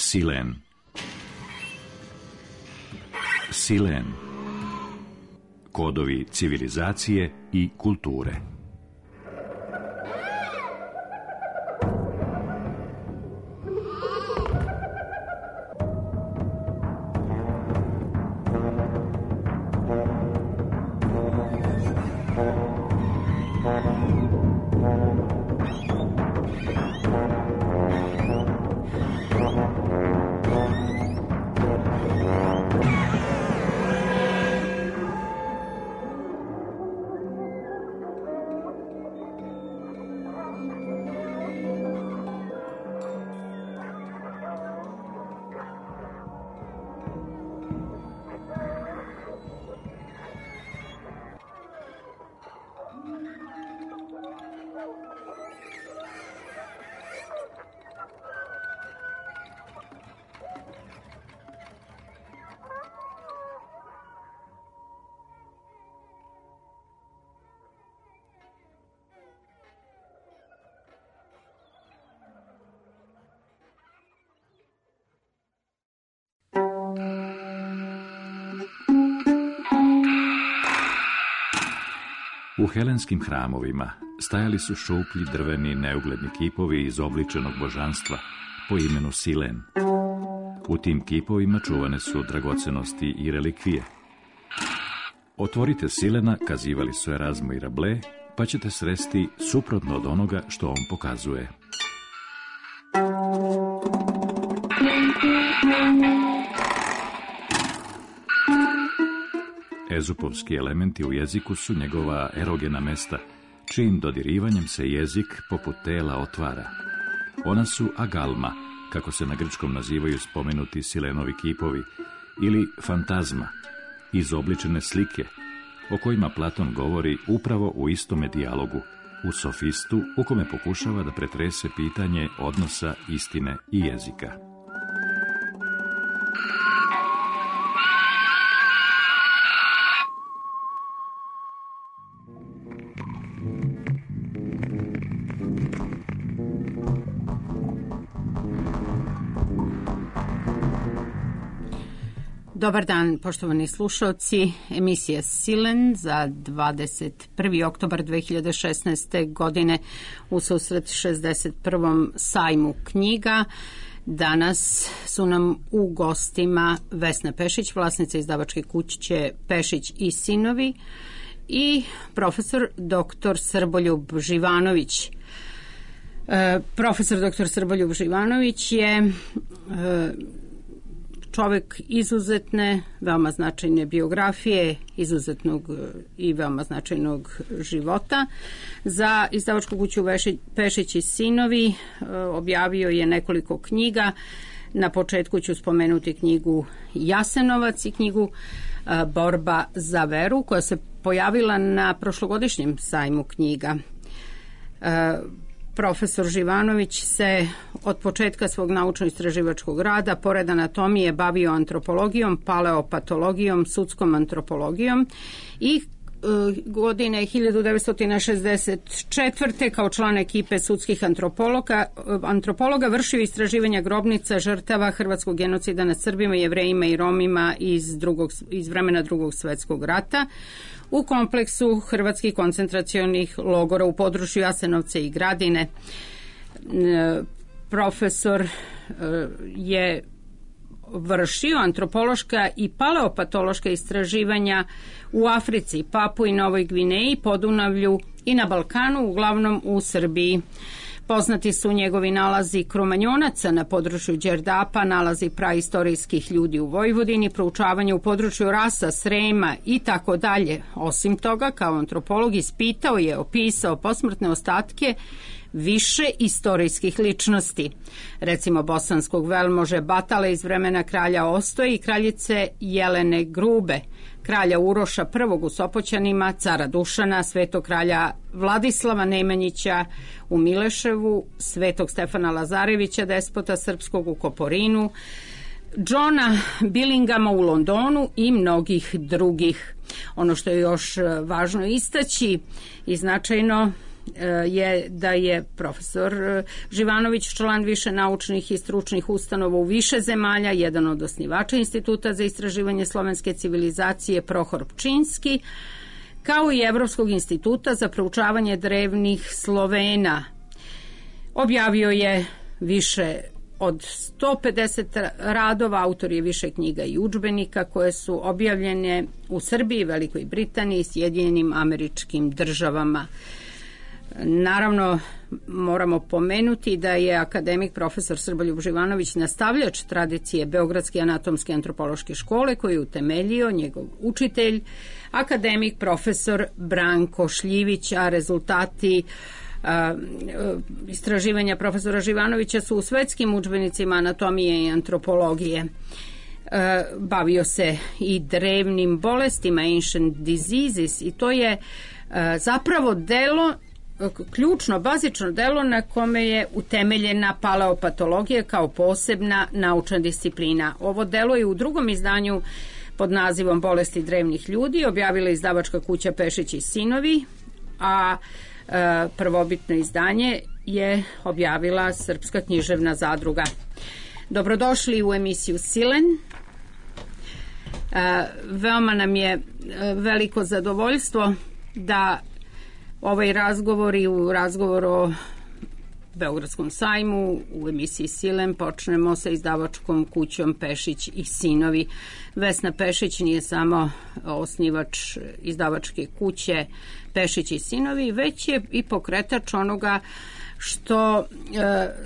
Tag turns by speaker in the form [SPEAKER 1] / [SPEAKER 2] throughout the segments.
[SPEAKER 1] Silen. Silen. Kodovi civilizacije i kulture. U helenskim hramovima stajali su šuplji drveni neugledni kipovi izobličenog božanstva po imenu Silen. U tim kipovima čuvane su dragocenosti i relikvije. Otvorite Silena, kazivali su Erazmo i Rabelais, pa ćete sresti suprotno od onoga što on pokazuje. Ezupovski elementi u jeziku su njegova erogena mesta, čijim dodirivanjem se jezik poput tela otvara. Ona su agalma, kako se na grčkom nazivaju spomenuti Silenovi kipovi, ili fantazma, izobličene slike, o kojima Platon govori upravo u istome dijalogu, u Sofistu, u kome pokušava da pretrese pitanje odnosa istine i jezika.
[SPEAKER 2] Dobar dan, poštovani slušalci. Emisija Silen za 21. oktobar 2016. godine u susret 61. sajmu knjiga. Danas su nam u gostima Vesna Pešić, vlasnica izdavačke kuće Pešić i sinovi, i profesor dr. Srboljub Živanović. Profesor dr. Srboljub Živanović je čovjek izuzetne, veoma značajne biografije, izuzetnog i veoma značajnog života. Za izdavačku kuću Pešić i sinovi objavio je nekoliko knjiga. Na početku ću spomenuti knjigu Jasenovac i knjigu Borba za veru, koja se pojavila na prošlogodišnjem sajmu knjiga. Profesor Živanović se od početka svog naučno-istraživačkog rada, pored anatomije, bavio antropologijom, paleopatologijom, sudskom antropologijom i godine 1964. kao član ekipe sudskih antropologa vršio istraživanja grobnica žrtava hrvatskog genocida nad Srbima, Jevrejima i Romima iz vremena Drugog svjetskog rata u kompleksu hrvatskih koncentracionih logora u području Jasenovca i Gradine. Profesor je vršio antropološka i paleopatološka istraživanja u Africi, Papui, Novoj Gvineji, Podunavlju i na Balkanu, uglavnom u Srbiji. Poznati su njegovi nalazi Kromanjonaca na području Đerdapa, nalazi praistorijskih ljudi u Vojvodini, proučavanje u području rasa, Srema i tako dalje. Osim toga, kao antropolog ispitao je, opisao posmrtne ostatke više istorijskih ličnosti, recimo bosanskog velmože Batale iz vremena kralja Ostoje i kraljice Jelene Grube, kralja Uroša I u Sopoćanima, cara Dušana, svetog kralja Vladislava Nemanjića u Mileševu, svetog Stefana Lazarevića, despota srpskog u Koporinu, Johna Billingama u Londonu i mnogih drugih. Ono što je još važno istaći i značajno je da je profesor Živanović član više naučnih i stručnih ustanova u više zemalja, jedan od osnivača Instituta za istraživanje slovenske civilizacije Prohor Pčinski, kao i Evropskog instituta za proučavanje drevnih Slovena. Objavio je više od 150 radova, autor je više knjiga i udžbenika koje su objavljene u Srbiji, Velikoj Britaniji i Sjedinjenim Američkim Državama. Naravno, moramo pomenuti da je akademik profesor Srboljub Živanović nastavljač tradicije Beogradske anatomske antropološke škole koju je utemeljio njegov učitelj, akademik profesor Branko Šljivić, a rezultati istraživanja profesora Živanovića su u svetskim udžbenicima anatomije i antropologije. Bavio se i drevnim bolestima, ancient diseases, i to je zapravo delo, ključno, bazično delo na kome je utemeljena paleopatologija kao posebna naučna disciplina. Ovo delo je u drugom izdanju pod nazivom Bolesti drevnih ljudi objavila izdavačka kuća Pešić i sinovi, a prvobitno izdanje je objavila Srpska književna zadruga. Dobrodošli u emisiju Silen. Veoma nam je veliko zadovoljstvo da ovaj razgovor i u razgovoru o Beogradskom sajmu u emisiji Silen počnemo sa izdavačkom kućom Pešić i sinovi. Vesna Pešić nije samo osnivač izdavačke kuće Pešić i sinovi, već je i pokretač onoga što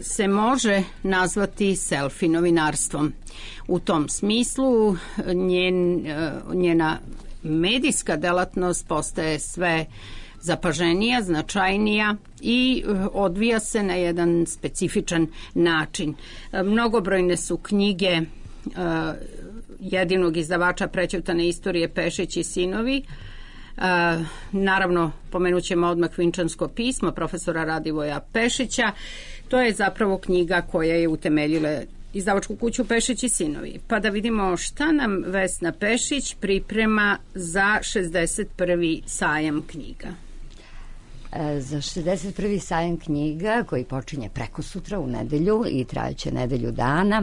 [SPEAKER 2] se može nazvati selfie novinarstvom. U tom smislu njena medijska delatnost postaje sve zapaženija, značajnija i odvija se na jedan specifičan način. Mnogobrojne su knjige jedinog izdavača prećutane istorije Pešić i sinovi. Naravno, pomenut ćemo odmah Vinčansko pismo profesora Radivoja Pešića. To je zapravo knjiga koja je utemeljila izdavačku kuću Pešić i sinovi. Pa da vidimo šta nam Vesna Pešić priprema za 61. sajam knjiga.
[SPEAKER 3] Za 61. sajam knjiga koji počinje prekosutra u nedelju i trajaće nedelju dana,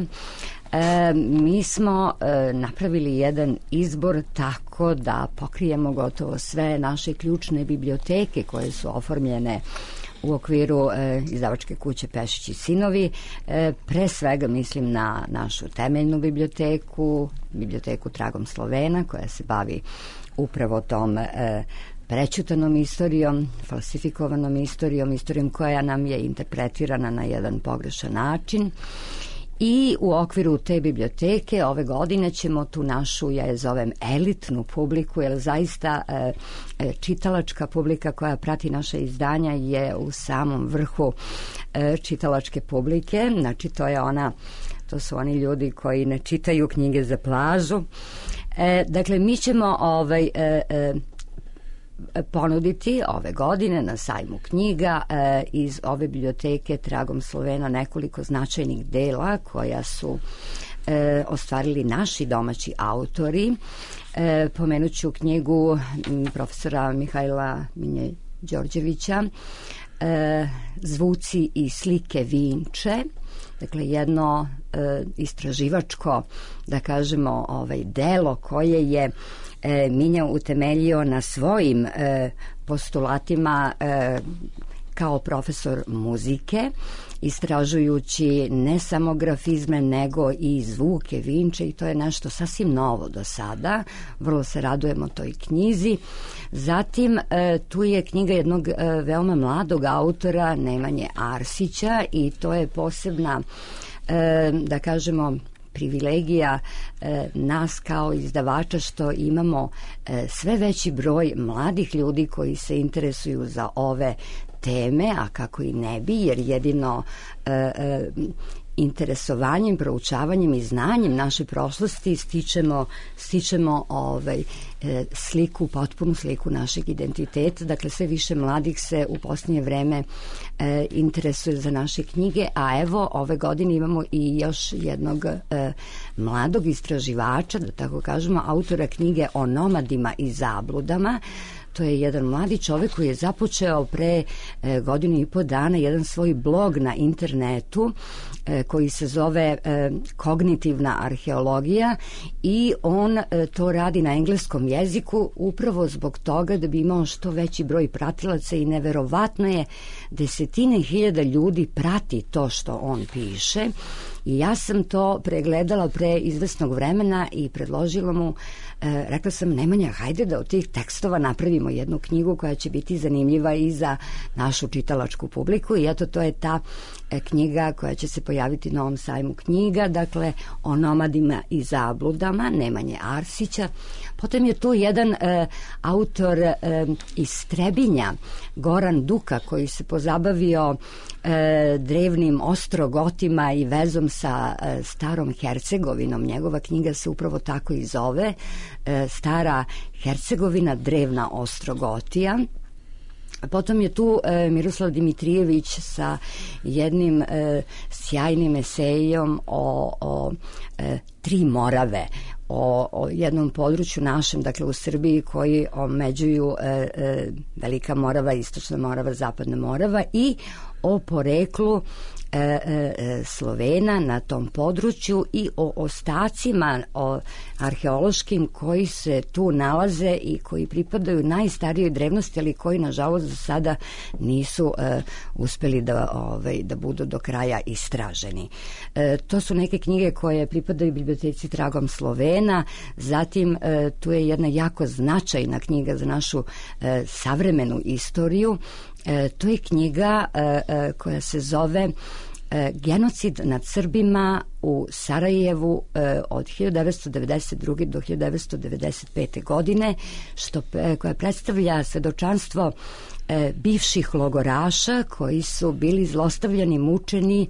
[SPEAKER 3] mi smo napravili jedan izbor tako da pokrijemo gotovo sve naše ključne biblioteke koje su oformljene u okviru izdavačke kuće Pešić i sinovi. Pre svega mislim na našu temeljnu biblioteku Tragom Slovena, koja se bavi upravo tom prećutanom istorijom, falsifikovanom istorijom koja nam je interpretirana na jedan pogrešan način. I u okviru te biblioteke ove godine ćemo tu našu, ja je zovem elitnu publiku, jer zaista čitalačka publika koja prati naše izdanja je u samom vrhu čitalačke publike. Znači to su oni ljudi koji ne čitaju knjige za plažu. Dakle, mi ćemo ponuditi ove godine na sajmu knjiga iz ove biblioteke Tragom Slovena nekoliko značajnih dela koja su ostvarili naši domaći autori. Pomenut ću knjigu profesora Mihajla Minje Đorđevića Zvuci i slike Vinče. Dakle, jedno istraživačko, da kažemo, delo koje je Minja utemeljio na svojim postulatima kao profesor muzike, istražujući ne samo grafizme nego i zvuke Vinče, i to je nešto sasvim novo do sada. Vrlo se radujemo toj knjizi. Zatim tu je knjiga jednog veoma mladog autora, Nemanje Arsića, i to je posebna, da kažemo, privilegija nas kao izdavača što imamo sve veći broj mladih ljudi koji se interesuju za ove teme, a kako i ne bi, jer jedino interesovanjem, proučavanjem i znanjem naše prošlosti stičemo sliku, potpunu sliku našeg identiteta. Dakle, sve više mladih se u posljednje vreme interesuje za naše knjige, a evo ove godine imamo i još jednog mladog istraživača, da tako kažemo, autora knjige o nomadima i zabludama. To je jedan mladi čovjek koji je započeo pre godinu i po dana jedan svoj blog na internetu koji se zove Kognitivna arheologija i on to radi na engleskom jeziku upravo zbog toga da bi imao što veći broj pratilaca i neverovatno je desetine hiljada ljudi prati to što on piše i ja sam to pregledala pre izvesnog vremena i predložila mu, rekla sam Nemanja, hajde da od tih tekstova napravimo jednu knjigu koja će biti zanimljiva i za našu čitalačku publiku i eto to je ta knjiga koja će se pojaviti na ovom sajmu knjiga, dakle o nomadima i zabludama Nemanje Arsića. Potom je tu jedan autor iz Trebinja, Goran Duka, koji se pozabavio drevnim ostrogotima i vezom sa starom Hercegovinom. Njegova knjiga se upravo tako i zove, Stara Hercegovina, drevna Ostrogotija. Potom je tu Miroslav Dimitrijević sa jednim sjajnim esejom o tri Morave, o jednom području našem, dakle u Srbiji, koji omeđuju Velika Morava, Istočna Morava, Zapadna Morava i o poreklu Slovena na tom području i o ostacima arheološkim koji se tu nalaze i koji pripadaju najstarijoj drevnosti, ali koji nažalost do sada nisu uspeli da budu do kraja istraženi. To su neke knjige koje pripadaju biblioteci Tragom Slovena, zatim tu je jedna jako značajna knjiga za našu savremenu istoriju. To je knjiga koja se zove Genocid nad Srbima u Sarajevu od 1992. do 1995. godine, koja predstavlja svedočanstvo bivših logoraša koji su bili zlostavljani, mučeni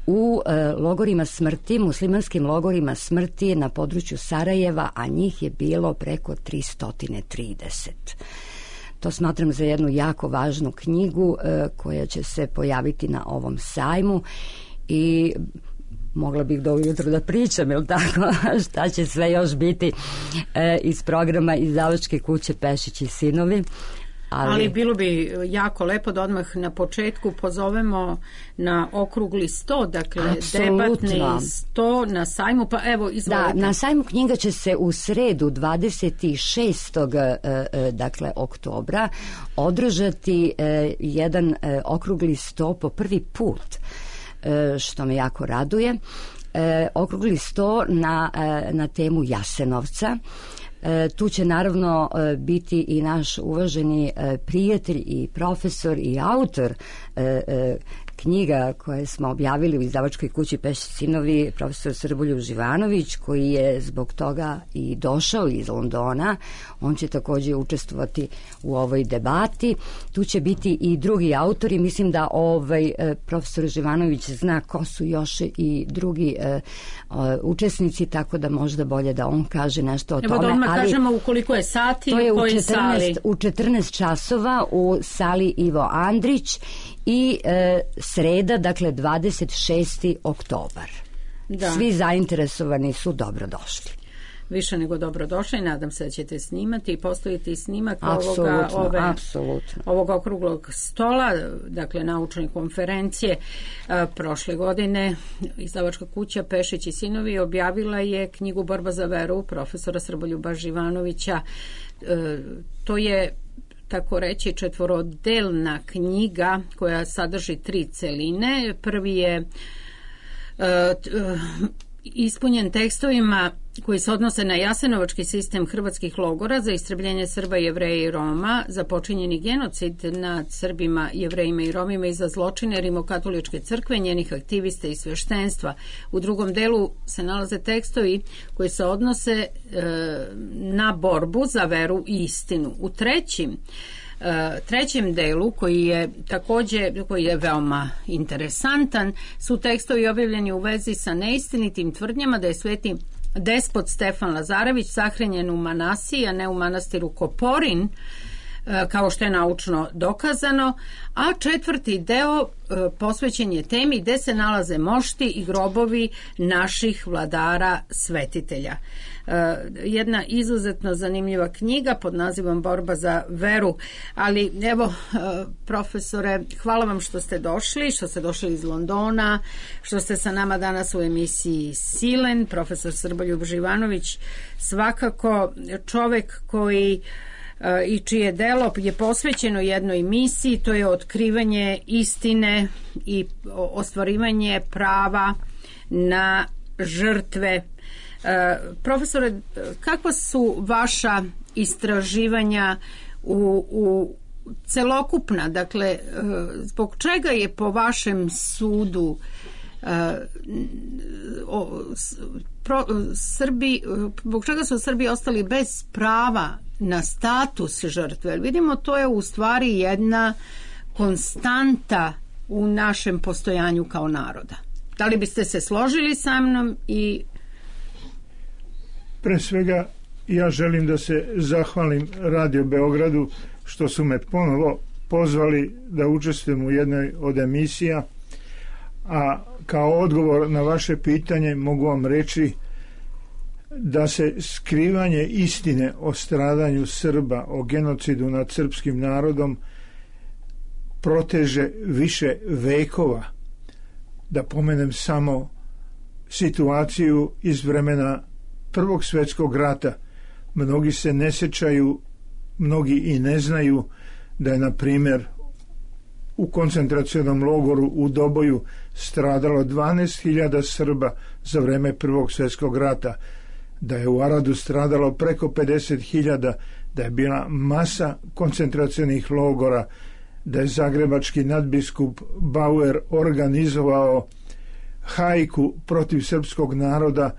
[SPEAKER 3] u logorima smrti, muslimanskim logorima smrti na području Sarajeva, a njih je bilo preko 330. To smatram za jednu jako važnu knjigu koja će se pojaviti na ovom sajmu i mogla bih do ujutro da pričam, jel tako, šta će sve još biti iz programa Izdavačke kuće Pešić i sinovi.
[SPEAKER 2] Ali bilo bi jako lepo da odmah na početku pozovemo na okrugli 100, dakle debatni 100 na sajmu, pa evo izvolite.
[SPEAKER 3] Da, na sajmu knjiga će se u sredu 26. dakle oktobra održati jedan okrugli 100 po prvi put, što me jako raduje. Okrugli 100 na temu Jasenovca. Tu će naravno biti i naš uvaženi prijatelj i profesor i autor knjiga koje smo objavili u Izdavačkoj kući Pešić sinovi, profesor Srboljub Živanović, koji je zbog toga i došao iz Londona. On će također učestvovati u ovoj debati. Tu će biti i drugi autori. Mislim da profesor Živanović zna ko su još i drugi učesnici, tako da možda bolje da on kaže nešto o tome.
[SPEAKER 2] Evo da odmah kažemo u koliko je sati,
[SPEAKER 3] to je
[SPEAKER 2] u kojoj sali.
[SPEAKER 3] U 14 časova u sali Ivo Andrić i sreda, dakle 26. oktobar. Da. Svi zainteresovani su dobrodošli.
[SPEAKER 2] Više nego dobrodošli, nadam se da ćete snimati i postaviti snimak ovog okruglog stola, dakle naučne konferencije. Prošle godine Izdavačka kuća Pešić i sinovi objavila je knjigu Borba za veru profesora Srboljuba Živanovića. To je, tako reći, četvorodelna knjiga koja sadrži 3 celine. Prvi je ispunjen tekstovima koji se odnose na jasenovački sistem hrvatskih logora za istrebljenje Srba, Jevreja i Roma, za počinjeni genocid nad Srbima, Jevrejima i Romima i za zločine Rimokatoličke crkve, njenih aktivista i sveštenstva. U drugom delu se nalaze tekstovi koji se odnose na borbu za veru i istinu. U trećem delu, koji je veoma interesantan, su tekstovi objavljeni u vezi sa neistinitim tvrdnjama da je sveti despot Stefan Lazarević sahranjen u Manasiji, a ne u manastiru Koporin, kao što je naučno dokazano, a četvrti deo posvećen je temi gde se nalaze mošti i grobovi naših vladara svetitelja. Jedna izuzetno zanimljiva knjiga pod nazivom Borba za veru, ali evo, profesore, hvala vam što ste došli iz Londona, što ste sa nama danas u emisiji Silen. Profesor Srboljub Živanović, svakako čovek koji i čije delo je posvećeno jednoj misiji, to je otkrivanje istine i ostvarivanje prava na žrtve. Profesore, kakva su vaša istraživanja u celokupna, dakle, zbog čega je po vašem sudu zbog čega su Srbi ostali bez prava na status žrtve? Vidimo, to je u stvari jedna konstanta u našem postojanju kao naroda. Da li biste se složili sa mnom? I
[SPEAKER 4] pre svega ja želim da se zahvalim Radio Beogradu što su me ponovo pozvali da učestvujem u jednoj od emisija, a kao odgovor na vaše pitanje mogu vam reći da se skrivanje istine o stradanju Srba, o genocidu nad srpskim narodom proteže više vekova. Da pomenem samo situaciju iz vremena Prvog svjetskog rata. Mnogi se ne sjećaju, mnogi i ne znaju da je, na primjer, u koncentracionom logoru u Doboju stradalo 12.000 Srba za vreme Prvog svjetskog rata, da je u Aradu stradalo preko 50.000, da je bila masa koncentracionih logora, da je zagrebački nadbiskup Bauer organizovao hajku protiv srpskog naroda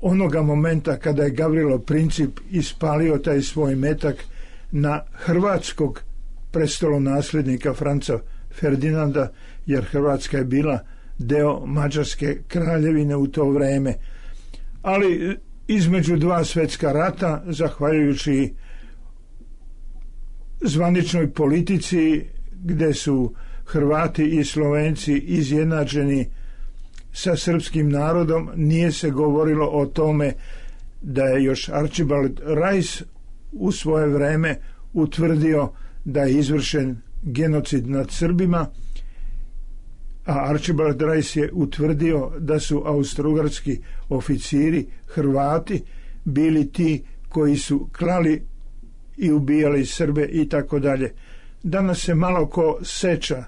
[SPEAKER 4] onoga momenta kada je Gavrilo Princip ispalio taj svoj metak na hrvatskog prestolonasljednika Franca Ferdinanda, jer Hrvatska je bila deo Mađarske kraljevine u to vreme. Ali između dva svjetska rata, zahvaljujući zvaničnoj politici gde su Hrvati i Slovenci izjednačeni sa srpskim narodom, nije se govorilo o tome da je još Archibald Rice u svoje vreme utvrdio da je izvršen genocid nad Srbima, a Archibald Rice je utvrdio da su austrougarski oficiri Hrvati bili ti koji su klali i ubijali Srbe i tako dalje. Danas se malo ko seća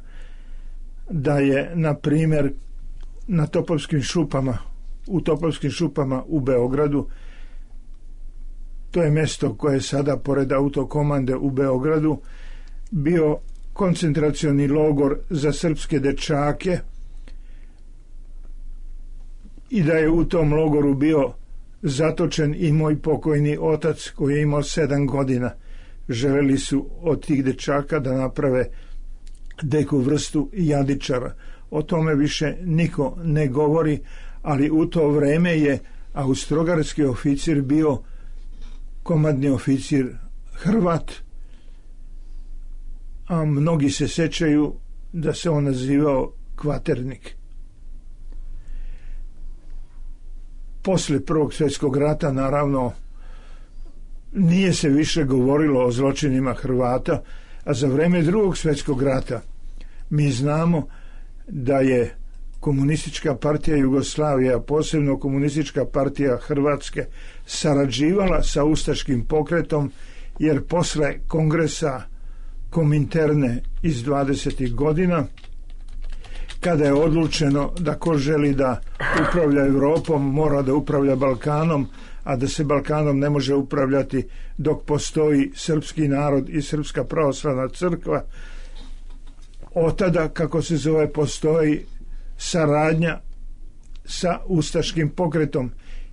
[SPEAKER 4] da je, na primjer, na Topovskim šupama u Beogradu, to je mjesto koje je sada pored autokomande u Beogradu, bio koncentracioni logor za srpske dečake i da je u tom logoru bio zatočen i moj pokojni otac koji je imao 7 godina. Želeli su od tih dečaka da naprave neku vrstu jadičara. O tome više niko ne govori, ali u to vreme je austrougarski oficir bio komadni oficir Hrvat, a mnogi se sećaju da se on nazivao Kvaternik. Posle Prvog svjetskog rata, naravno, nije se više govorilo o zločinima Hrvata, a za vreme Drugog svjetskog rata mi znamo da je Komunistička partija Jugoslavije, a posebno Komunistička partija Hrvatske, sarađivala sa ustaškim pokretom, jer posle kongresa Kominterne iz 20. godina, kada je odlučeno da ko želi da upravlja Europom mora da upravlja Balkanom, a da se Balkanom ne može upravljati dok postoji srpski narod i Srpska pravoslavna crkva, od tada, kako se zove, postoji saradnja sa ustaškim pokretom.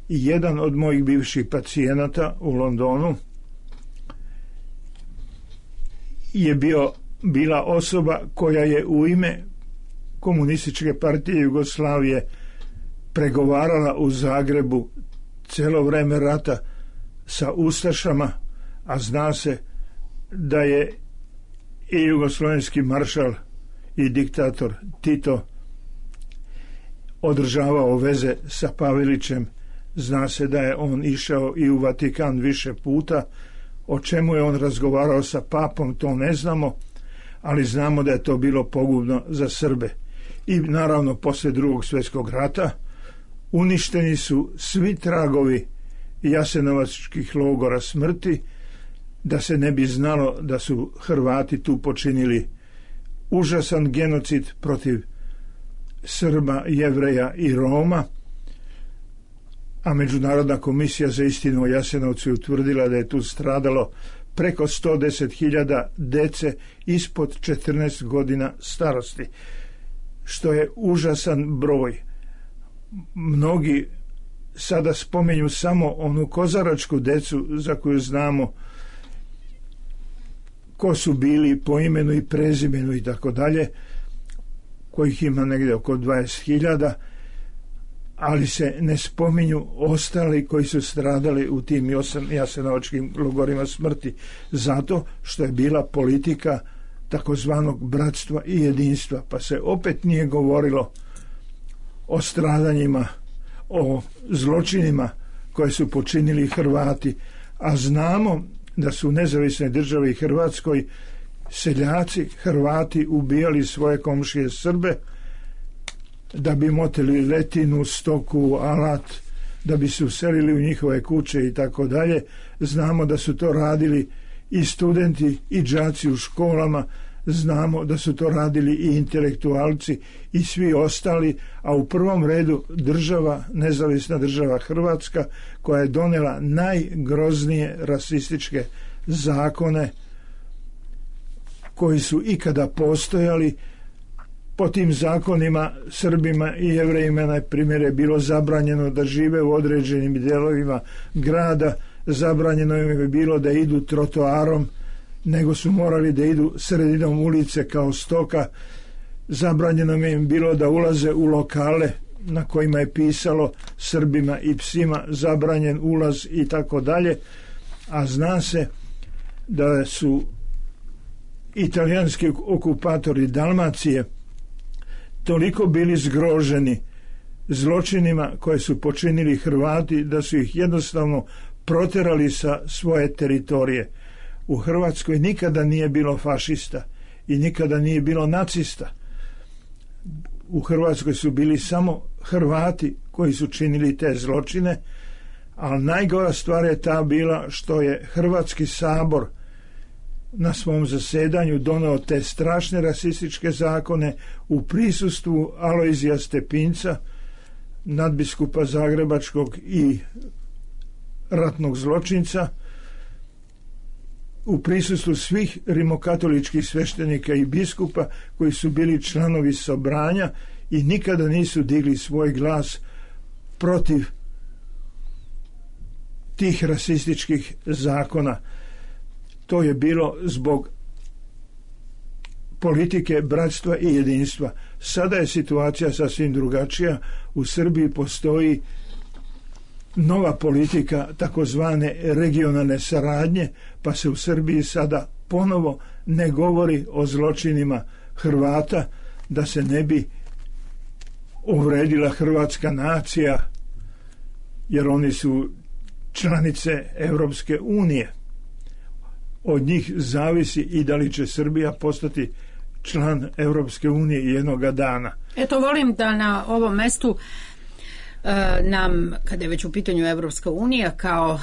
[SPEAKER 4] I jedan od mojih bivših pacijenata u Londonu je bila osoba koja je u ime Komunističke partije Jugoslavije pregovarala u Zagrebu celo vreme rata sa ustašama, a zna se da je i jugoslovenski maršal i diktator Tito održavao veze sa Pavelićem. Zna se da je on išao i u Vatikan više puta. O čemu je on razgovarao sa papom, to ne znamo, ali znamo da je to bilo pogubno za Srbe. I naravno, posle Drugog svjetskog rata uništeni su svi tragovi jasenovačkih logora smrti, da se ne bi znalo da su Hrvati tu počinili užasan genocid protiv Srba, Jevreja i Roma, a Međunarodna komisija za istinu o Jasenovcu je utvrdila da je tu stradalo preko 110.000 dece ispod 14 godina starosti, što je užasan broj. Mnogi sada spominju samo onu kozaračku decu za koju znamo ko su bili po imenu i prezimenu i tako dalje, kojih ima negdje oko 20.000, ali se ne spominju ostali koji su stradali u tim jasenovačkim logorima smrti, zato što je bila politika takozvanog bratstva i jedinstva, pa se opet nije govorilo o stradanjima, o zločinima koje su počinili Hrvati, a znamo da su u nezavisnoj državi Hrvatskoj seljaci Hrvati ubijali svoje komšije Srbe da bi motili letinu, stoku, alat, da bi se uselili u njihove kuće i tako dalje. Znamo da su to radili i studenti i đaci u školama, znamo da su to radili i intelektualci i svi ostali, a u prvom redu država, nezavisna država Hrvatska, koja je donela najgroznije rasističke zakone koji su ikada postojali. Po tim zakonima Srbima i Jevrejima na primjer je bilo zabranjeno da žive u određenim dijelovima grada, zabranjeno im je bilo da idu trotoarom, nego su morali da idu sredinom ulice kao stoka, zabranjeno im je bilo da ulaze u lokale na kojima je pisalo Srbima i psima zabranjen ulaz i tako dalje, a zna se da su italijanski okupatori Dalmacije toliko bili zgroženi zločinima koje su počinili Hrvati da su ih jednostavno proterali sa svoje teritorije. U Hrvatskoj nikada nije bilo fašista i nikada nije bilo nacista. U Hrvatskoj su bili samo Hrvati koji su činili te zločine, ali najgora stvar je ta bila što je Hrvatski sabor na svom zasedanju doneo te strašne rasističke zakone u prisustvu Alojzija Stepinca, nadbiskupa Zagrebačkog i ratnog zločinca, u prisustvu svih rimokatoličkih sveštenika i biskupa koji su bili članovi Sobranja i nikada nisu digli svoj glas protiv tih rasističkih zakona. To je bilo zbog politike bratstva i jedinstva. Sada je situacija sasvim drugačija. U Srbiji postoji nova politika takozvane regionalne saradnje, pa se u Srbiji sada ponovo ne govori o zločinima Hrvata, da se ne bi uvredila hrvatska nacija, jer oni su članice Europske unije. Od njih zavisi i da li će Srbija postati član Europske unije jednoga dana.
[SPEAKER 2] Eto, volim da na ovom mestu nam, kada je već u pitanju Evropska unija, kao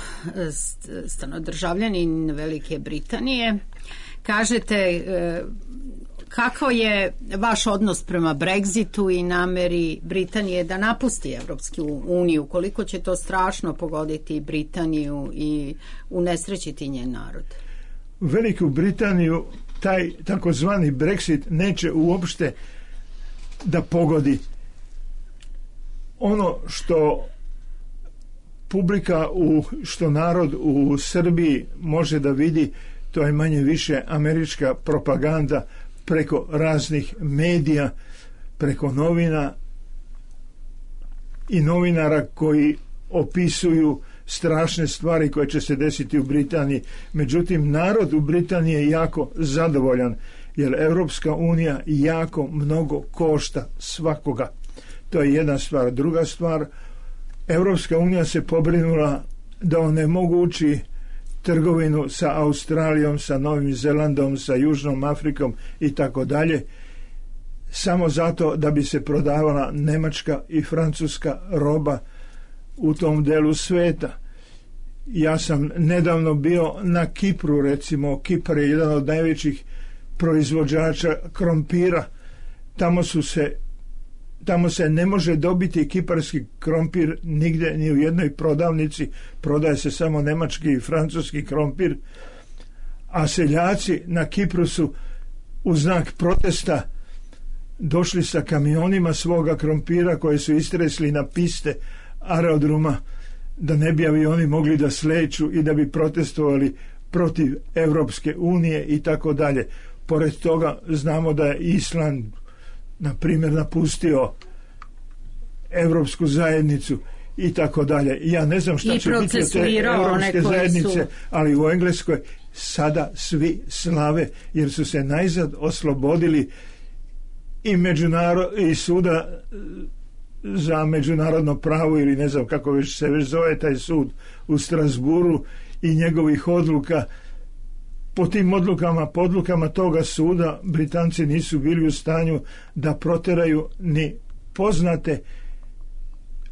[SPEAKER 2] stanodržavljanin Velike Britanije, kažete kako je vaš odnos prema Brexitu i nameri Britanije da napusti Evropsku uniju, koliko će to strašno pogoditi Britaniju i unesrećiti njen narod?
[SPEAKER 4] Veliku Britaniju taj takozvani Brexit neće uopšte da pogodi. Ono što publika, što narod u Srbiji može da vidi, to je manje više američka propaganda preko raznih medija, preko novina i novinara koji opisuju strašne stvari koje će se desiti u Britaniji. Međutim, narod u Britaniji je jako zadovoljan, jer Europska unija jako mnogo košta svakoga. To je jedna stvar. Druga stvar, Europska unija se pobrinula da onemogući trgovinu sa Australijom, sa Novim Zelandom, sa Južnom Afrikom i tako dalje, samo zato da bi se prodavala nemačka i francuska roba u tom delu sveta. Ja sam nedavno bio na Kipru, recimo. Kipar je jedan od najvećih proizvođača krompira. Tamo se ne može dobiti kiparski krompir nigde, ni u jednoj prodavnici. Prodaje se samo nemački i francuski krompir. A seljaci na Kipru su u znak protesta došli sa kamionima svoga krompira koje su istresli na piste aerodroma, da ne bi avioni mogli da sleću i da bi protestovali protiv Evropske unije i tako dalje. Pored toga znamo da je Island, na primjer, napustio Evropsku zajednicu i tako dalje. Ja ne znam šta će biti od te Evropske zajednice, ali u Engleskoj sada svi slave, jer su se najzad oslobodili i suda za međunarodno pravo, ili ne znam kako se već zove taj sud u Strasburu, i njegovih odluka. Po tim odlukama toga suda Britanci nisu bili u stanju da proteraju ni poznate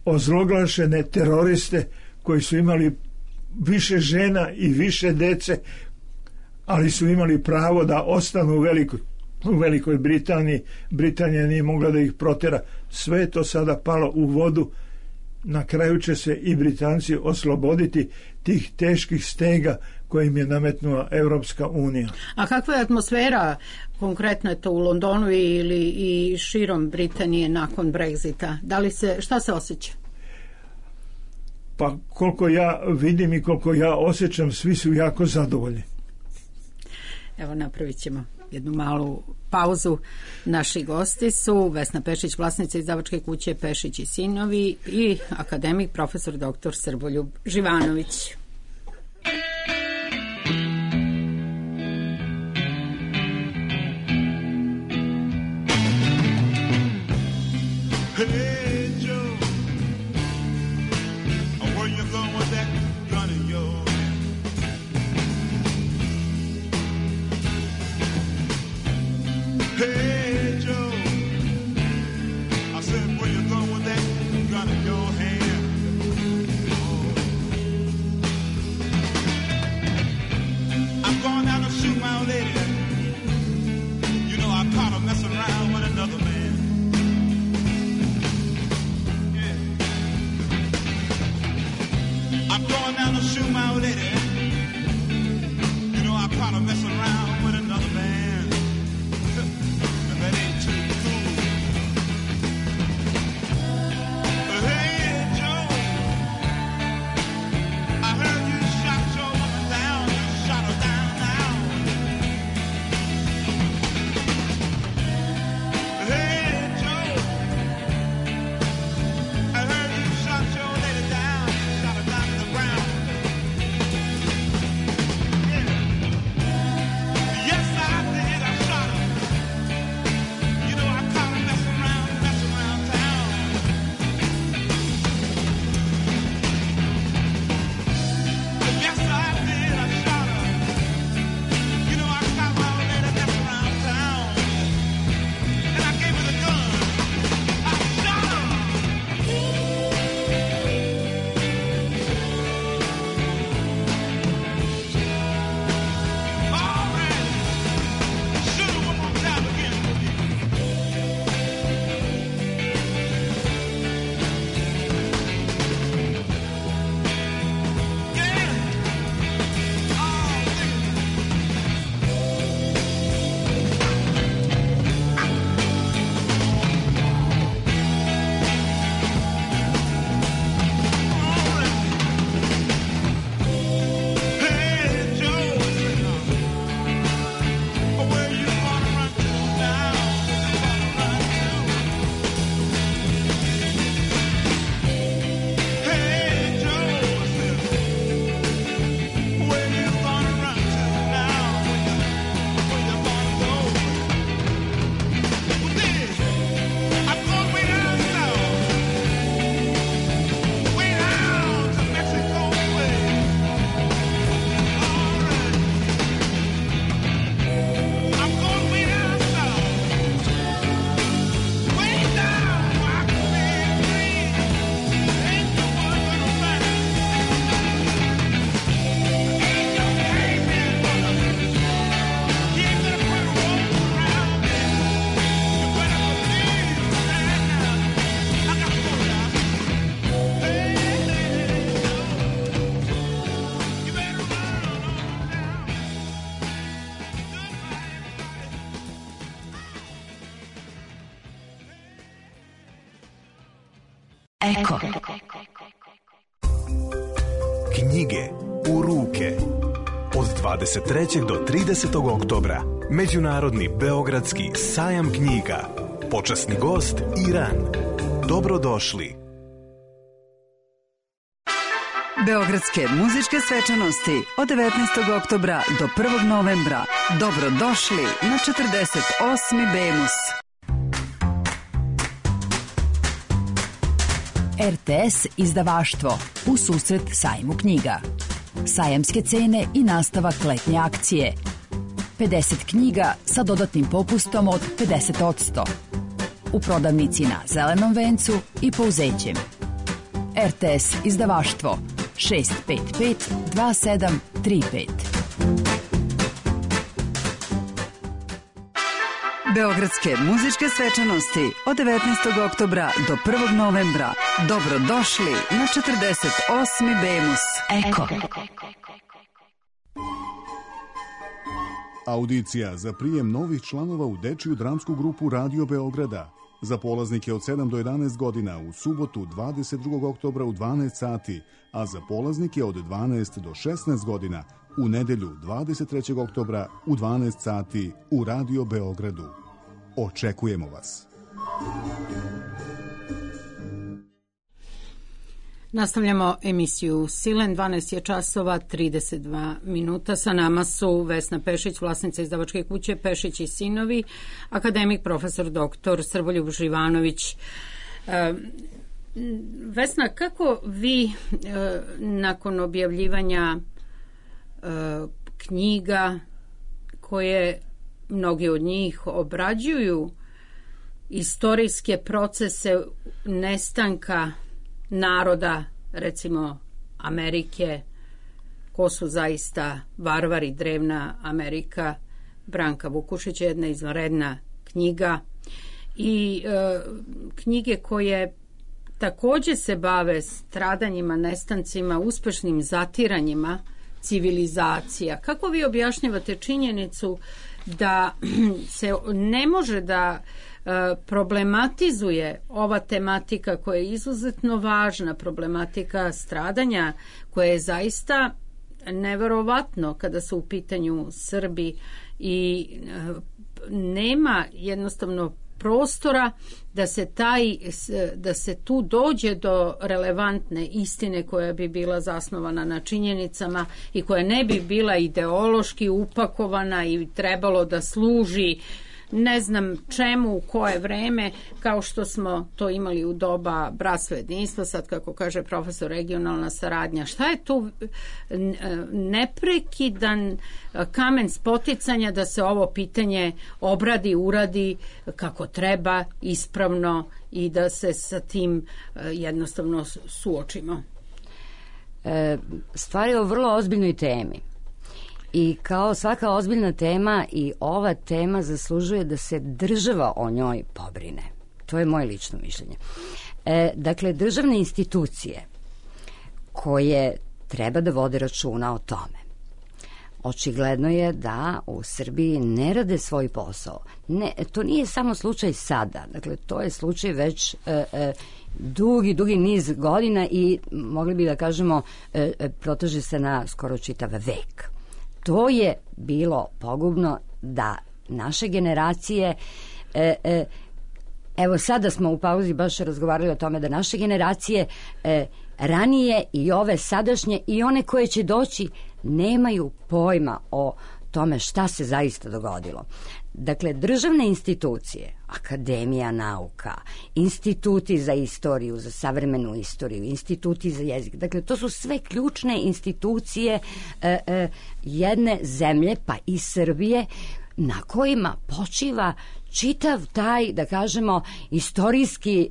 [SPEAKER 4] ozloglašene teroriste koji su imali više žena i više dece, ali su imali pravo da ostanu u Velikoj Britaniji. Britanija nije mogla da ih protera. Sve je to sada palo u vodu. Na kraju će se i Britanci osloboditi tih teških stega koje im je nametnula Europska unija.
[SPEAKER 2] A kakva je atmosfera, konkretno je to u Londonu ili i širom Britanije nakon Brexita? Šta se osjeća?
[SPEAKER 4] Pa koliko ja vidim i koliko ja osjećam, svi su jako zadovoljni.
[SPEAKER 2] Evo, napravit ćemo jednu malu pauzu. Naši gosti su Vesna Pešić, vlasnica izdavačke kuće Pešić i sinovi, i akademik profesor dr. Srboljub Živanović.
[SPEAKER 5] Eko.
[SPEAKER 6] Knjige u ruke. Od 23. do 30. oktobra Međunarodni beogradski sajam knjiga. Počasni gost Iran. Dobrodošli.
[SPEAKER 5] Beogradske muzičke svečanosti od 19. oktobra do 1. novembra. Dobrodošli na 48. Bemus. RTS izdavaštvo u susret sajmu knjiga. Sajamske cene i nastavak letnje akcije. 50 knjiga sa dodatnim popustom od 50%. U prodavnici na Zelenom vencu i Pouzećem. RTS izdavaštvo 655 2735. Beogradske muzičke svečanosti od 19. oktobra do 1. novembra. Dobrodošli na 48. Bemus. Eko.
[SPEAKER 7] Audicija za prijem novih članova u dečiju dramsku grupu Radio Beograda. Za polaznike od 7 do 11 godina u subotu 22. oktobra u 12 sati, a za polaznike od 12 do 16 godina u nedelju 23. oktobra u 12 sati u Radio Beogradu. Očekujemo vas.
[SPEAKER 2] Nastavljamo emisiju Silen, 12 je časova 32 minuta. Sa nama su Vesna Pešić, vlasnica izdavačke kuće Pešić i sinovi, akademik profesor dr. Srboljub Živanović. Vesna, kako vi nakon objavljivanja knjiga koje mnogi od njih obrađuju istorijske procese nestanka naroda, recimo Amerike, ko su zaista varvari, drevna Amerika, Branka Vukušića, jedna izvanredna knjiga, i knjige koje takođe se bave stradanjima, nestancima, uspešnim zatiranjima civilizacija. Kako vi objašnjavate činjenicu da se ne može da problematizuje ova tematika koja je izuzetno važna, problematika stradanja, koja je zaista neverovatno kada su u pitanju Srbi, i nema jednostavno prostora da se tu dođe do relevantne istine koja bi bila zasnovana na činjenicama i koja ne bi bila ideološki upakovana i trebalo da služi ne znam čemu, u koje vreme, kao što smo to imali u doba bratstva jedinstva, sad kako kaže profesor, regionalna saradnja. Šta je tu neprekidan kamen spoticanja da se ovo pitanje obradi, uradi kako treba, ispravno, i da se sa tim jednostavno suočimo?
[SPEAKER 3] Stvar je o vrlo ozbiljnoj temi. I kao svaka ozbiljna tema, i ova tema zaslužuje da se država o njoj pobrine. To je moje lično mišljenje. Dakle, državne institucije koje treba da vode računa o tome. Očigledno je da u Srbiji ne rade svoj posao. To nije samo slučaj sada. Dakle, to je slučaj već dugi niz godina i mogli bi da kažemo proteže se na skoro čitav vek. To je bilo pogubno da naše generacije, evo sada smo u pauzi baš razgovarali o tome, da naše generacije ranije i ove sadašnje i one koje će doći nemaju pojma o tome šta se zaista dogodilo. Dakle, državne institucije, Akademija nauka, instituti za istoriju, za savremenu istoriju, instituti za jezik, dakle, to su sve ključne institucije jedne zemlje, pa i Srbije, na kojima počiva čitav taj, da kažemo, istorijski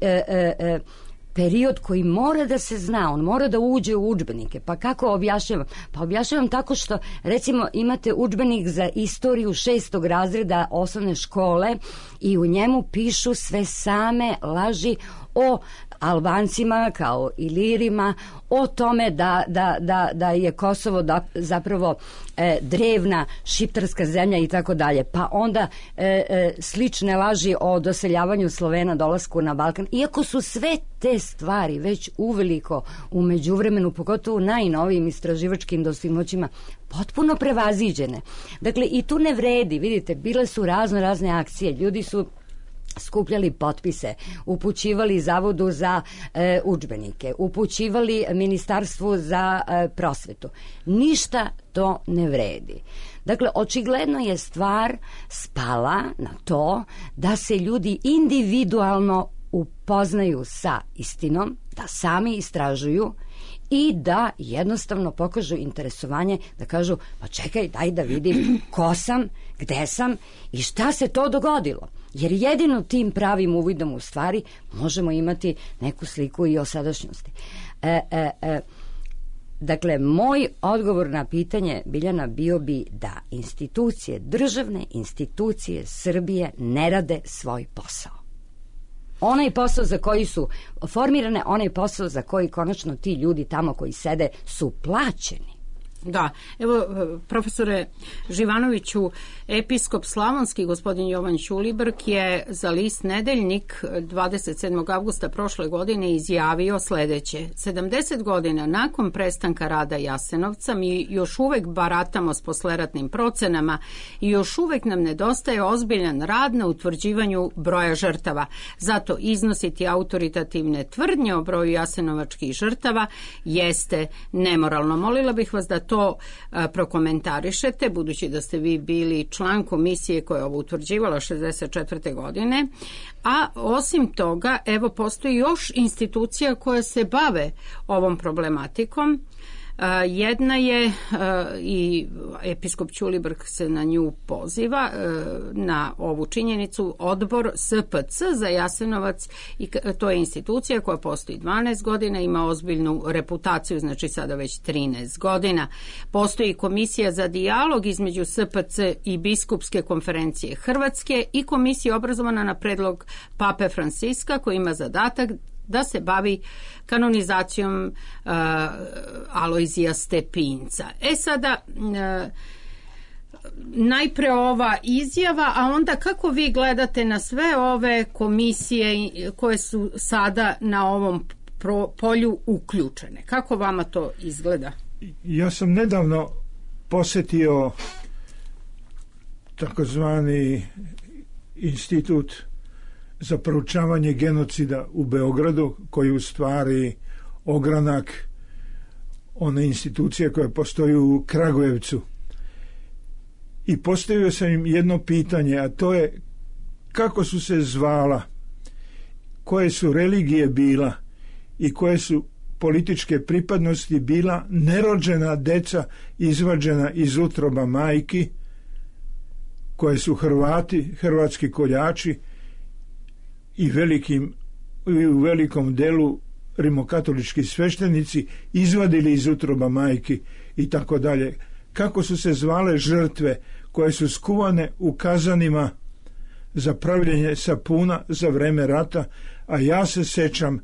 [SPEAKER 3] period koji mora da se zna, on mora da uđe u udžbenike. Pa kako objašnjavam? Pa objašnjavam tako što, recimo, imate udžbenik za istoriju 6. razreda osnovne škole i u njemu pišu sve same laži o Albancima kao Ilirima, o tome da je Kosovo zapravo drevna šiptarska zemlja i tako dalje. Pa onda slične laži o doseljavanju Slovena, dolasku na Balkan. Iako su sve te stvari već uveliko u međuvremenu, pogotovo najnovijim istraživačkim dostignućima, potpuno prevaziđene. Dakle, i tu ne vredi, vidite, bile su razne akcije, ljudi su skupljali potpise, upućivali Zavodu za udžbenike, upućivali Ministarstvu za prosvetu. Ništa to ne vredi. Dakle, očigledno je stvar spala na to da se ljudi individualno upoznaju sa istinom, da sami istražuju i da jednostavno pokažu interesovanje, da kažu, pa čekaj, daj da vidim ko sam, gde sam i šta se to dogodilo. Jer jedino tim pravim uvidom u stvari možemo imati neku sliku i o sadašnjosti. Dakle, moj odgovor na pitanje, Biljana, bio bi da institucije, državne institucije Srbije ne rade svoj posao. Onaj posao za koji su formirane, onaj posao za koji konačno ti ljudi tamo koji sede su plaćeni.
[SPEAKER 2] Da, evo, profesore Živanoviću, episkop slavonski gospodin Jovan Ćulibrk je za list Nedeljnik 27. avgusta prošle godine izjavio sledeće: 70 godina nakon prestanka rada Jasenovca mi još uvek baratamo s posleratnim procenama i još uvek nam nedostaje ozbiljan rad na utvrđivanju broja žrtava. Zato iznositi autoritativne tvrdnje o broju jasenovačkih žrtava jeste nemoralno. Molila bih vas da to prokomentarišete, budući da ste vi bili član komisije koja je ovo utvrđivala 64. godine, a osim toga, evo, postoji još institucija koje se bave ovom problematikom. Jedna je, i episkop Ćulibrk se na nju poziva, na ovu činjenicu, odbor SPC za Jasenovac, i to je institucija koja postoji 12 godina, ima ozbiljnu reputaciju, znači sada već 13 godina. Postoji komisija za dijalog između SPC i Biskupske konferencije Hrvatske i komisija obrazovana na predlog Pape Franciska koji ima zadatak da se bavi kanonizacijom Alojzija Stepinca. Sada, najpre ova izjava, a onda kako vi gledate na sve ove komisije koje su sada na ovom polju uključene? Kako vama to izgleda?
[SPEAKER 4] Ja sam nedavno posetio takozvani institut za proučavanje genocida u Beogradu, koji u stvari ogranak one institucije koja postoji u Kragujevcu. I postavio sam im jedno pitanje, a to je kako su se zvala, koje su religije bila i koje su političke pripadnosti bila nerođena deca izvađena iz utroba majki, koje su Hrvati, hrvatski koljači i u velikom delu rimokatolički sveštenici izvadili iz utroba majki i tako dalje. Kako su se zvale žrtve koje su skuvane u kazanima za pravljenje sapuna za vreme rata, a ja se sećam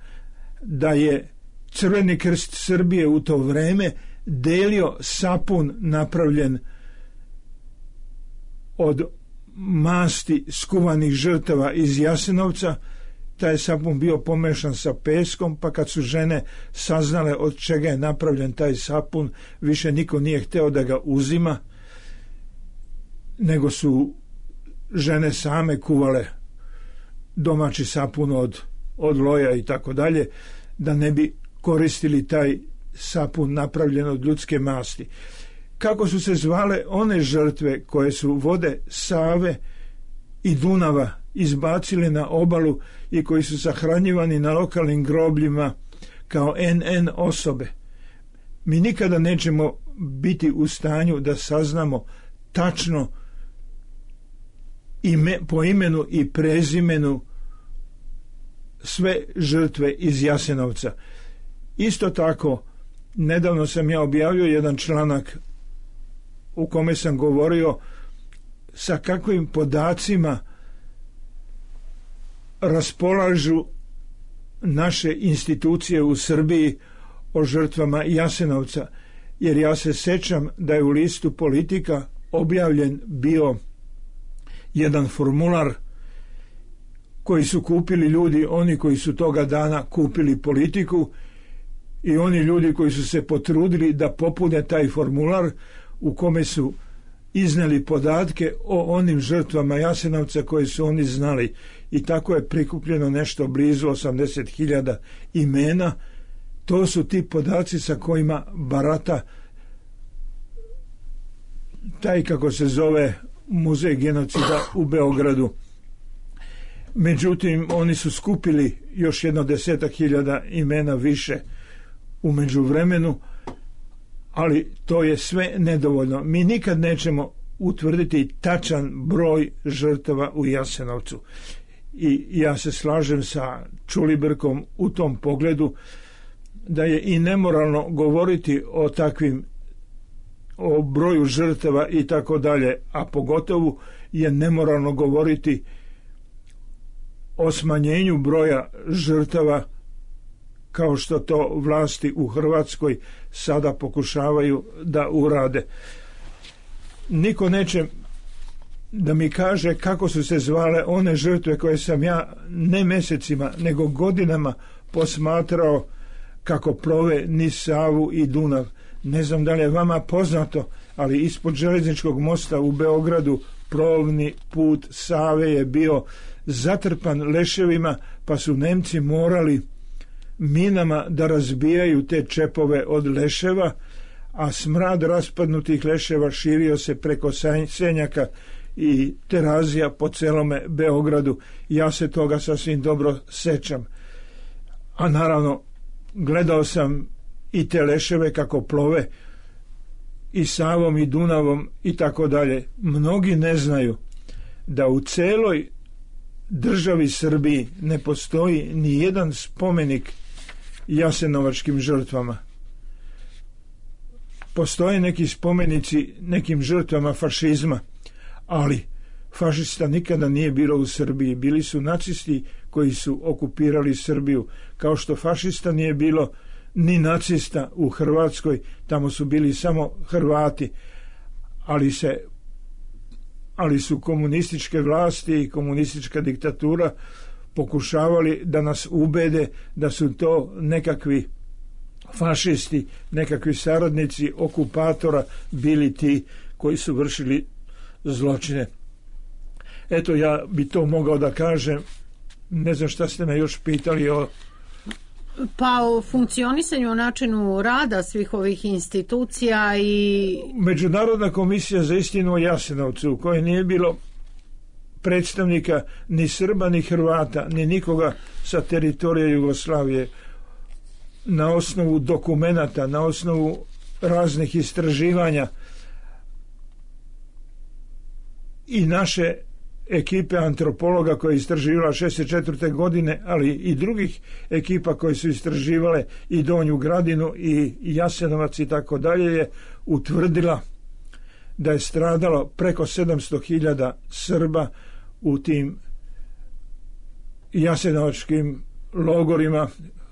[SPEAKER 4] da je Crveni krst Srbije u to vreme delio sapun napravljen od masti skuvanih žrtava iz Jasenovca. Taj sapun bio pomešan sa peskom, pa kad su žene saznale od čega je napravljen taj sapun, više niko nije hteo da ga uzima, nego su žene same kuvale domaći sapun od loja i tako dalje, da ne bi koristili taj sapun napravljen od ljudske masti. Kako su se zvale one žrtve koje su vode Save i Dunava izbacili na obalu i koji su sahranjivani na lokalnim grobljima kao NN osobe. Mi nikada nećemo biti u stanju da saznamo tačno po imenu i prezimenu sve žrtve iz Jasenovca. Isto tako, nedavno sam ja objavio jedan članak u kome sam govorio sa kakvim podacima raspolažu naše institucije u Srbiji o žrtvama Jasenovca, jer ja se sećam da je u listu Politika objavljen bio jedan formular koji su kupili ljudi, oni koji su toga dana kupili Politiku, i oni ljudi koji su se potrudili da popune taj formular u kome su izneli podatke o onim žrtvama Jasenovca koje su oni znali, i tako je prikupljeno nešto blizu 80.000 imena. To su ti podaci sa kojima barata taj, kako se zove, muzej genocida u Beogradu. Međutim, oni su skupili još jedno 10.000 imena više u međuvremenu, ali to je sve nedovoljno. Mi nikad nećemo utvrditi tačan broj žrtava u Jasenovcu. I ja se slažem sa Čulibrkom u tom pogledu da je i nemoralno govoriti o takvim, o broju žrtava i tako dalje, a pogotovo je nemoralno govoriti o smanjenju broja žrtava kao što to vlasti u Hrvatskoj sada pokušavaju da urade. Niko neće da mi kaže kako su se zvale one žrtve koje sam ja ne mjesecima nego godinama posmatrao kako plove niz Savu i Dunav. Ne znam da li je vama poznato, ali ispod željezničkog mosta u Beogradu plovni put Save je bio zatrpan leševima, pa su Nemci morali minama da razbijaju te čepove od leševa, a smrad raspadnutih leševa širio se preko Senjaka i Terazija po celome Beogradu. Ja se toga sasvim dobro sećam. A naravno, gledao sam i te leševe kako plove i Savom i Dunavom i tako dalje. Mnogi ne znaju da u celoj državi Srbiji ne postoji ni jedan spomenik jasenovačkim žrtvama. Postoje neki spomenici nekim žrtvama fašizma, ali fašista nikada nije bilo u Srbiji. Bili su nacisti koji su okupirali Srbiju, kao što fašista nije bilo ni nacista u Hrvatskoj, tamo su bili samo Hrvati, ali su komunističke vlasti i komunistička diktatura pokušavali da nas ubede da su to nekakvi fašisti, nekakvi saradnici okupatora bili ti koji su vršili zločine. Eto, ja bi to mogao da kažem. Ne znam šta ste me još pitali o...
[SPEAKER 2] Pa o funkcionisanju, o načinu rada svih ovih institucija i...
[SPEAKER 4] Međunarodna komisija za istinu o Jasenovcu, u kojoj nije bilo predstavnika ni Srba, ni Hrvata, ni nikoga sa teritorija Jugoslavije, na osnovu dokumenata, na osnovu raznih istraživanja i naše ekipe antropologa koja je istraživala 64. godine, ali i drugih ekipa koje su istraživale i Donju Gradinu i Jasenovac i tako dalje, je utvrdila da je stradalo preko 700.000 Srba u tim jasenovačkim logorima,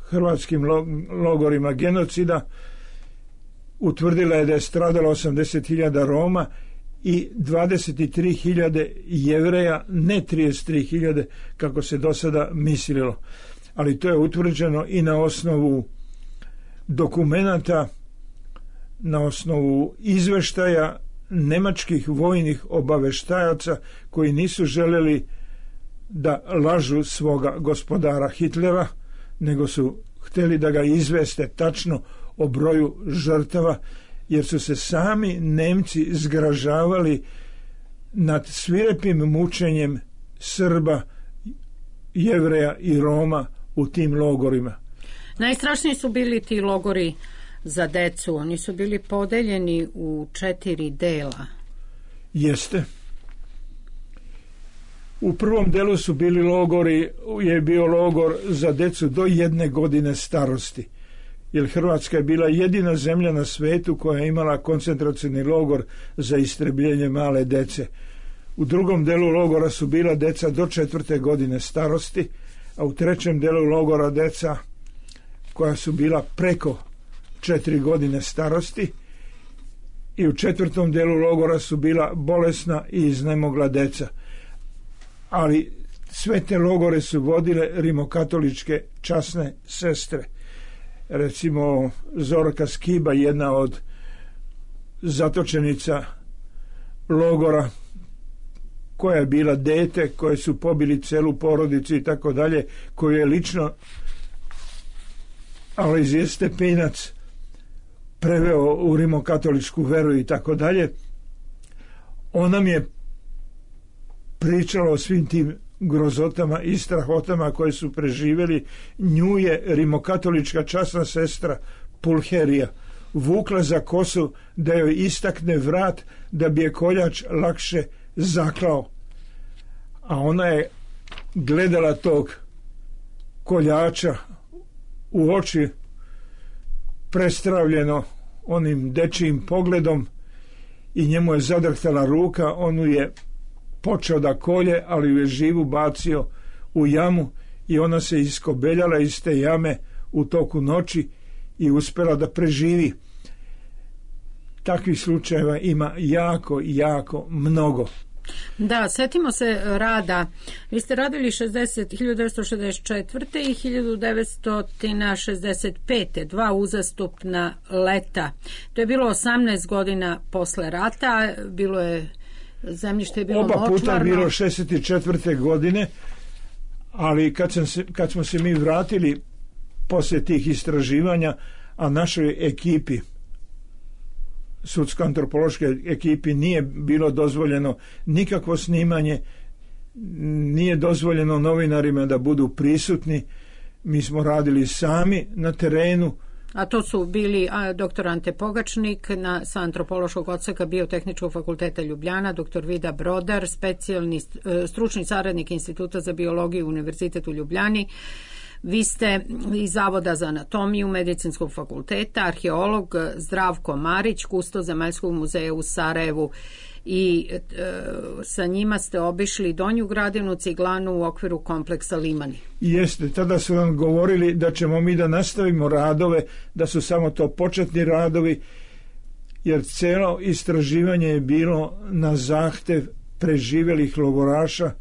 [SPEAKER 4] hrvatskim logorima genocida. Utvrdila je da je stradalo 80.000 Roma i 23.000 Jevreja, ne 33.000 kako se do sada mislilo. Ali to je utvrđeno i na osnovu dokumenata, na osnovu izveštaja nemačkih vojnih obaveštajaca koji nisu željeli da lažu svoga gospodara Hitlera, nego su htjeli da ga izveste tačno o broju žrtava, jer su se sami Nemci zgražavali nad svirepim mučenjem Srba, Jevreja i Roma u tim logorima.
[SPEAKER 2] Najstrašniji su bili ti logori za decu. Oni su bili podeljeni u 4 dela.
[SPEAKER 4] Jeste. U prvom delu su bili logori, je bio logor za decu do 1 godine starosti, jer Hrvatska je bila jedina zemlja na svetu koja je imala koncentracioni logor za istrebljenje male dece. U drugom delu logora su bila deca do 4. godine starosti, a u 3. delu logora deca koja su bila preko 4 godine starosti i u 4. delu logora su bila bolesna i iznemogla deca. Ali sve te logore su vodile rimokatoličke časne sestre. Recimo Zorka Skiba, jedna od zatočenica logora, koja je bila dete, koje su pobili celu porodicu i tako dalje, koju je lično Alojzije Stepinac preveo u rimokatoličku veru i tako dalje. Ona mi je pričala o svim tim grozotama i strahotama koje su preživjeli. Nju je rimokatolička časna sestra Pulherija vukla za kosu da joj istakne vrat da bi je koljač lakše zaklao. A ona je gledala tog koljača u oči, prestravljeno onim dečijim pogledom, i njemu je zadrhtala ruka. On je počeo da kolje, ali ju je živu bacio u jamu i ona se iskobeljala iz te jame u toku noći i uspela da preživi. Takvih slučajeva ima jako, jako mnogo.
[SPEAKER 2] Da, setimo se rada. Vi ste radili 1964. i 1965. 2 uzastopna leta. To je bilo 18 godina posle rata. Bilo je zemljište je bilo
[SPEAKER 4] oba
[SPEAKER 2] močvarno.
[SPEAKER 4] Puta je bilo 64. godine, ali kad smo se mi vratili poslije tih istraživanja, a našoj ekipi, sudsko-antropološke ekipi, nije bilo dozvoljeno nikakvo snimanje, nije dozvoljeno novinarima da budu prisutni. Mi smo radili sami na terenu.
[SPEAKER 2] A to su bili dr. Ante Pogačnik sa antropološkog odseka Biotehničkog fakulteta Ljubljana, dr. Vida Brodar, specijalni stručni saradnik Instituta za biologiju Univerzitetu u Ljubljani. Vi ste iz Zavoda za anatomiju Medicinskog fakulteta, arheolog Zdravko Marić, kusto Zemaljskog muzeja u Sarajevu, i sa njima ste obišli Donju Gradinu, Ciglanu u okviru kompleksa Limani.
[SPEAKER 4] Jeste, tada su nam govorili da ćemo mi da nastavimo radove, da su samo to početni radovi, jer celo istraživanje je bilo na zahtev preživjelih logoraša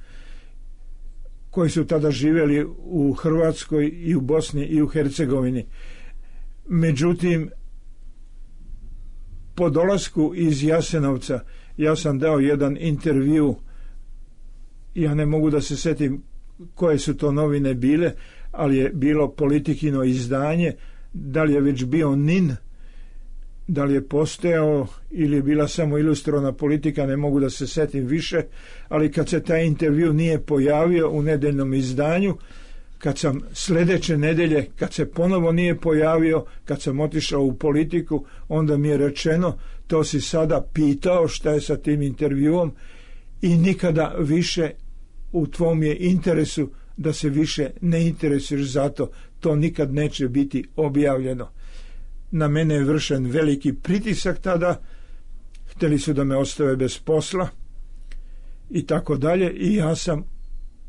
[SPEAKER 4] koji su tada živjeli u Hrvatskoj i u Bosni i u Hercegovini. Međutim, po dolasku iz Jasenovca ja sam dao jedan intervju, ja ne mogu da se setim koje su to novine bile, ali je bilo Politikino izdanje. Da li je već bio NIN, da li je postojao ili je bila samo ilustrovana Politika, ne mogu da se setim više, ali kad se taj intervju nije pojavio u nedeljnom izdanju, kad sam sljedeće nedelje, kad se ponovo nije pojavio, kad sam otišao u Politiku, onda mi je rečeno: to si sada pitao šta je sa tim intervjuom i nikada više u tvom je interesu da se više ne interesuješ za to, to nikad neće biti objavljeno. Na mene je vršen veliki pritisak tada, htjeli su da me ostave bez posla i tako dalje, i ja sam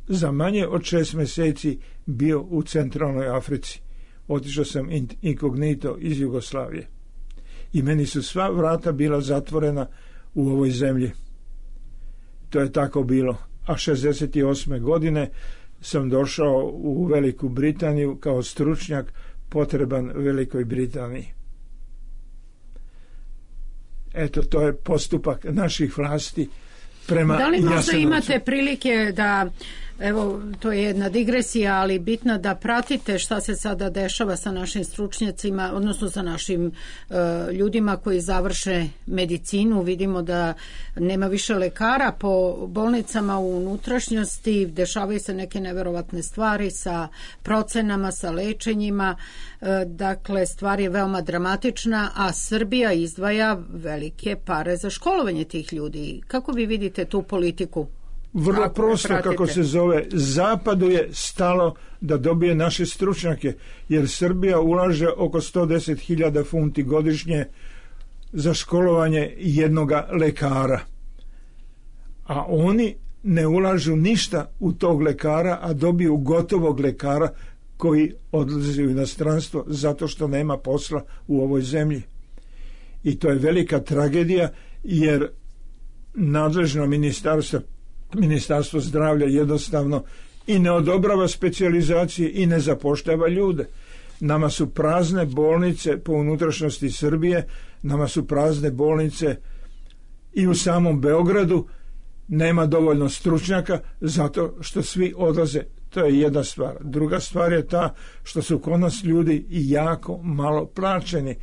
[SPEAKER 4] za manje od 6 mjeseci bio u centralnoj Africi. Otišao sam inkognito iz Jugoslavije i meni su sva vrata bila zatvorena u ovoj zemlji. To je tako bilo. A 68. godine sam došao u Veliku Britaniju kao stručnjak potreban Velikoj Britaniji. Eto, to je postupak naših vlasti prema Jasenovcu.
[SPEAKER 2] Da li možda imate prilike da, evo, to je jedna digresija, ali bitna, da pratite šta se sada dešava sa našim stručnjacima, odnosno sa našim ljudima koji završe medicinu? Vidimo da nema više lekara po bolnicama u unutrašnjosti, dešavaju se neke neverovatne stvari sa procenama, sa lečenjima, dakle stvar je veoma dramatična, a Srbija izdvaja velike pare za školovanje tih ljudi. Kako vi vidite tu politiku?
[SPEAKER 4] Vrlo prosto, kako se zove. Zapadu je stalo da dobije naše stručnjake, jer Srbija ulaže oko 110.000 funti godišnje za školovanje jednoga lekara. A oni ne ulažu ništa u tog lekara, a dobiju gotovog lekara koji odlazi u inostranstvo zato što nema posla u ovoj zemlji. I to je velika tragedija, jer nadležno ministarstvo zdravlja jednostavno i ne odobrava specijalizacije i ne zapošljava ljude. Nama su prazne bolnice po unutrašnjosti Srbije, nama su prazne bolnice i u samom Beogradu, nema dovoljno stručnjaka zato što svi odlaze. To je jedna stvar. Druga stvar je ta što su kod nas ljudi i jako malo plaćeni.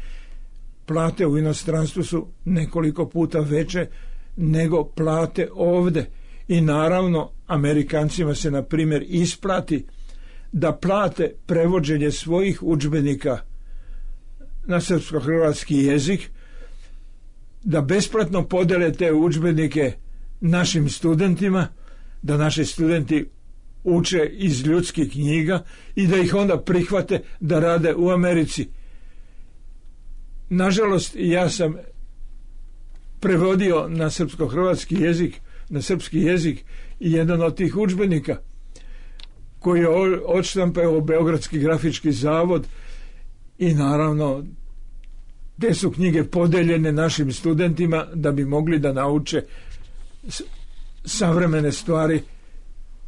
[SPEAKER 4] Plate u inostranstvu su nekoliko puta veće nego plate ovde. I naravno, Amerikancima se, na primjer, isplati da plate prevođenje svojih udžbenika na srpsko-hrvatski jezik, da besplatno podele te udžbenike našim studentima, da naši studenti uče iz ljudskih knjiga i da ih onda prihvate da rade u Americi. Nažalost, ja sam prevodio na srpsko-hrvatski jezik, na srpski jezik, i jedan od tih udžbenika koji je odštampao Beogradski grafički zavod, i naravno te su knjige podeljene našim studentima da bi mogli da nauče savremene stvari,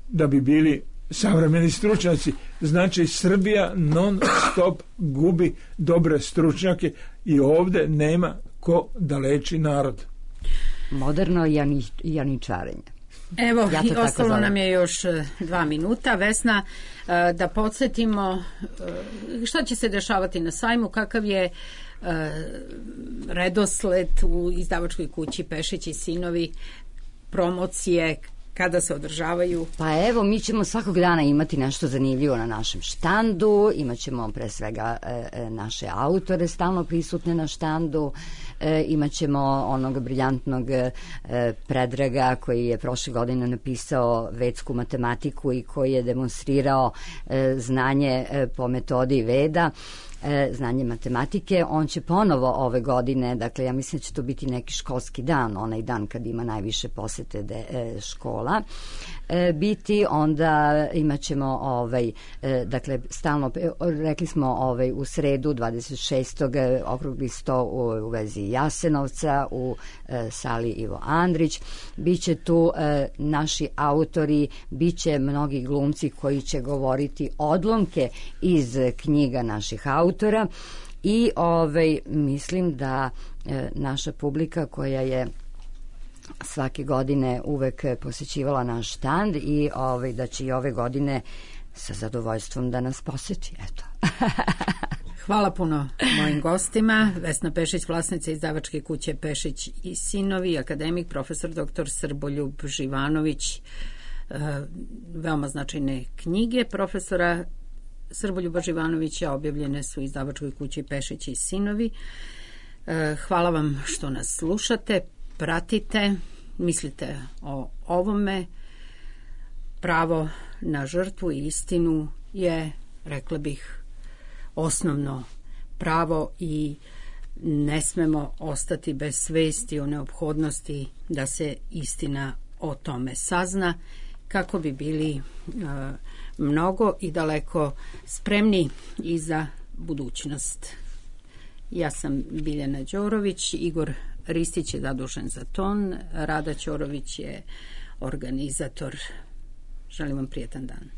[SPEAKER 4] da bi bili savremeni stručnjaci. Znači, Srbija non stop gubi dobre stručnjake i ovde nema ko da leči narod.
[SPEAKER 3] Moderno janičarenje.
[SPEAKER 2] Evo, ja ostalo nam je još 2 minuta. Vesna, da podsjetimo šta će se dešavati na sajmu, kakav je redosled u izdavačkoj kući Pešić i sinovi, promocije, kada se održavaju?
[SPEAKER 3] Pa evo, mi ćemo svakog dana imati nešto zanimljivo na našem štandu, imat ćemo pre svega naše autore stalno prisutne na štandu, imat ćemo onog briljantnog Predraga koji je prošle godine napisao vedsku matematiku i koji je demonstrirao znanje po metodi Veda, znanje matematike. On će ponovo ove godine, dakle ja mislim da će to biti neki školski dan, onaj dan kad ima najviše posete škola, biti, onda imat ćemo dakle stalno, rekli smo u sredu 26. okrugli sto u vezi Jasenovca u sali Ivo Andrić. Biće tu naši autori, biće mnogi glumci koji će govoriti odlomke iz knjiga naših autora i mislim da naša publika koja je svake godine uvek posećivala naš štand i da će i ove godine sa zadovoljstvom da nas poseti. Eto.
[SPEAKER 2] Hvala puno mojim gostima. Vesna Pešić, vlasnica izdavačke kuće Pešić i sinovi, akademik, profesor dr. Srboljub Živanović. Veoma značajne knjige profesora Srboljuba Živanovića objavljene su u izdavačkoj kući Pešić i sinovi. Hvala vam što nas slušate, pratite, mislite o ovome. Pravo na žrtvu i istinu je, rekla bih, osnovno pravo i ne smemo ostati bez svesti o neophodnosti da se istina o tome sazna, kako bi bili mnogo i daleko spremni i za budućnost. Ja sam Biljana Đorović, Igor Ristić je zadužen za ton, Rada Ćorović je organizator. Želim vam prijetan dan.